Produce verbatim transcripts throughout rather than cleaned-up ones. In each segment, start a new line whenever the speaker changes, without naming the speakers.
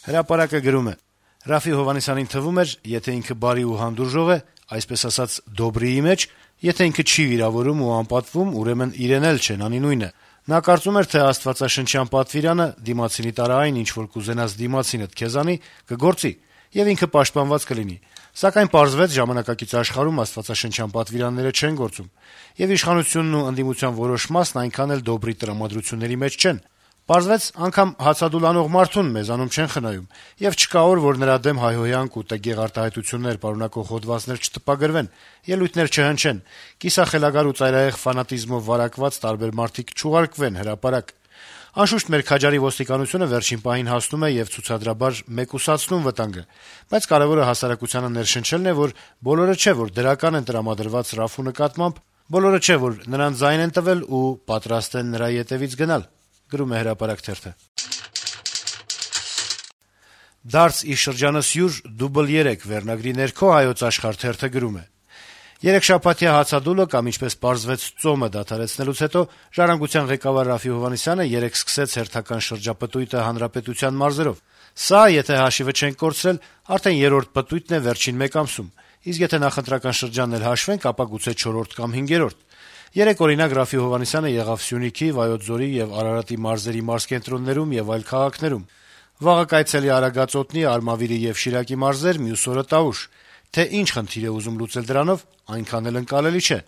Հրապարակը գրում է. - Ռաֆի Հովհաննիսյանին թվում էր, եթե ինքը բարի ու հանդուրժող է, այսպես ասած դոբրիի մեջ, եթե ինքը չի վիրավորում ու անպատվում, ուրեմն իրեն էլ չեն, անի նույնը: Նա կարծում էր, թե աստվածաշնչյան պատվիրանը «դիմացինի տարա այն, ինչ որ կուզենաս դիմացինդ քեզ անի» կգործի, եւ ինքը պաշտպանված կլինի: Սակայն պարզվեց, ժամանակակից աշխարհում աստվածաշնչյան պատվիրանները չեն գործում, եւ իշխանությունն ու ընդդիմության որոշ մասն այնքան էլ դոբրի տրամադրությունների մեջ չեն: Պարզվեց, անգամ հացադուլ անող մարդուն մեզանում չեն խնայում, եւ չկա օր, որ նրա դեմ հայհոյանք ու տգեղ արտահայտություններ պարունակող հոդվածներ չտպագրվեն, ելույթներ չհնչեն, կիսախելագար ու ծայրահեղ ֆանատիզմով վարակված տարբեր մարդիկ չուղարկվեն հրապարակ: Անշուշտ, մեր քաջարի ոստիկանությունը վերջին պահին հասնում է եւ ցուցադրաբար մեկուսացնում վտանգը, բայց կարեւորը հասարակությանը ներշնչելն է, որ բոլորը չէ, որ դրական են տրամադրված Ռաֆու նկատմամբ, բոլորը չէ, որ նրան ձայն են տվել ու պատրաստ են նրա ետեւից գնալ: «Դարձ ի շրջանս յուր, դուբլ երեք» վերնագրի ներքո «Հայոց Աշխարհ» թերթը գրում է. - «Երեքշաբաթյա հացադուլը կամ, ինչպես պարզվեց, ծոմը դադարեցնելուց հետո «Ժառանգության» ղեկավար Ռաֆի Հովհաննիսյանը երեկ սկսեց հերթական շրջապտույտը հանրապետության մարզերով: Սա, եթե հաշիվը չենք կորցրել, արդեն երրորդ պտույտն է վերջին մեկ ամսում, իսկ եթե նախընտրական շրջանն էլ հաշվենք, ապա գուցե չորրորդ կամ հինգերորդ: Երեկ, օրինակ, Ռաֆի Հովհաննիսյանը եղավ Սյունիքի, Վայոց ձորի եւ Արարատի մարզերի մարզկենտրոններում եւ այլ քաղաքներում: Վաղը կայցելի է Արագածոտնի, Արմավիրի եւ Շիրակի մարզեր, մյուս օրը Տավուշ: Թե ինչ խնդիր է ուզում լուծել դրանով, այնքան էլ ընկալելի չէ: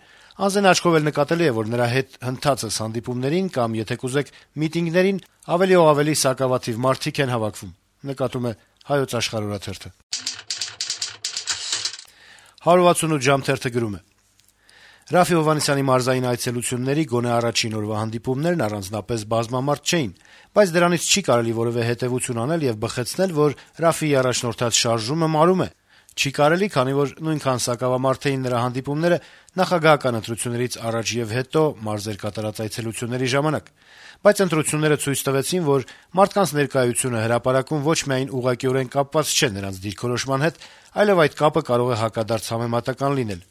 Անզեն աչքով էլ նկատելի է, որ նրա հետ հնդածս հանդիպումներին կամ, եթե կուզեք, միտինգներին ավելի ու ավելի սակավաթիվ մարդիկ են հավաքվում»: «հարյուրհասունութ ժամ» թերթը գրում է. - Ռաֆի Հովհաննիսյանի մարզային այցելությունների գոնե առաջին օրվա հանդիպումներն առանձնապես բազմամարդ չէին, բայց դրանից չի կարելի որեւէ հետեւություն անել եւ բխեցնել, որ Ռաֆիի առաջնորդած շարժումը մարում է: Չի կարելի, քանի որ նույնքան սակավամարդ էին նրա հանդիպումները նախագահական ընտրություններից առաջ եւ հետո մարզեր կատարած այցելությունների ժամանակ: Բայց ընտրությունները ցույց տվեցին, որ մարդկանց ներկայությունը հրապարակում ոչ միայն ուղղակիորեն կապված չէ նրանց դիրքորոշման հետ, այլեւ այդ կապը կարող է հակադարձ համեմատական լինել: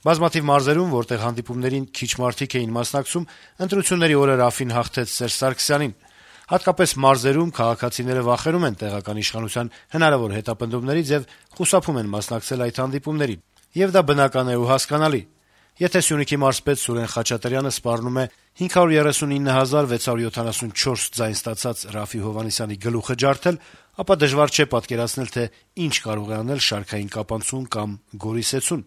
Բազմաթիվ մարզերում, որտեղ հանդիպումներին քիչ մարդիկ էին մասնակցում, ընտրությունների օրը Ռաֆին հաղթեց Սերժ Սարգսյանին: Հատկապես մարզերում քաղաքացիները վախենում են տեղական իշխանության հնարավոր հետապնդումներից եւ խուսափում են մասնակցել այդ հանդիպումներին: Եվ դա բնական է ու հասկանալի: Եթե Սյունիքի մարզպետ Սուրեն Խաչատրյանը սպառնում է հինգ հարյուր երեսունինը հազար վեց հարյուր յոթանասունչորս ձայն ստացած Ռաֆի Հովհաննիսյանի գլուխը ջարդել, ապա դժվար չէ պատկերացնել, թե ինչ կարող է անել շարքային կապանցուն կամ գորի սեցուն: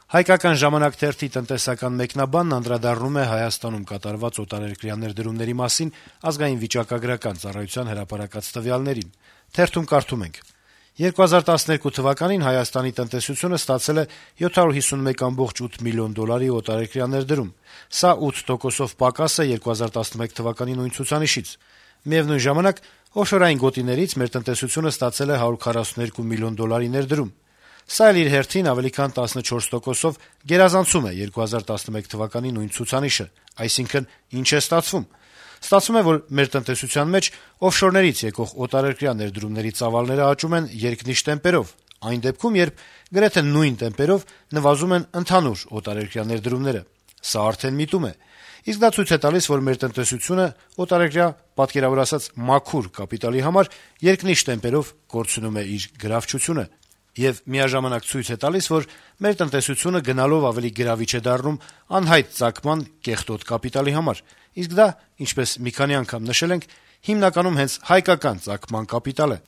«Հայկական ժամանակ» թերթի տնտեսական մեկնաբանն անդրադառնում է Հայաստանում կատարված օտարերկրյա ներդրումների մասին Ազգային վիճակագրական ծառայության հրապարակած տվյալներին: Թերթում կարդում ենք. - «երկու հազար տասներկու թվականին Հայաստանի տնտեսությունը ստացել է յոթ հարյուր հիսունմեկ կόμμα ութ միլիոն դոլարի օտարերկրյա ներդրում: Սա ութ տոկոսով պակաս է երկու հազար տասնմեկ թվականի նույն ցուցանիշից: Միեւնույն ժամանակ, օֆշորային գոտիներից մեր տնտեսությունը ստացել է հարյուր քառասունութ միլիոն դոլարի ներդրում: Սա էլ իր հերթին ավելի քան տասնչորս տոկոսով գերազանցում է երկու հազար տասնմեկ թվականի նույն ցուցանիշը: Այսինքն, ինչ է ստացվում: Ստացվում է, որ մեր տնտեսության մեջ օֆշորներից եկող օտարերկրյա ներդրումների ծավալները աճում են երկնիշ տեմպերով, այն դեպքում, երբ գրեթե նույն տեմպերով նվազում են ընդհանուր օտարերկրյա ներդրումները: Սա արդեն միտում է: Իսկ դա ցույց է տալիս, որ մեր տնտեսությունը օտարերկրյա, պատկերավոր ասած, մաքուր կապիտալի համար երկնիշ տեմպերով կորցնում է իր գրավչությունը: Եվ միաժամանակ ցույց է տալիս, որ մեր տնտեսությունը գնալով ավելի գրավիչ է դառնում անհայտ ծագման կեղտոտ կապիտալի համար: Իսկ դա, ինչպես մի քանի անգամ նշել ենք, հիմնականում հենց հայկական ծագման կապիտալ է»: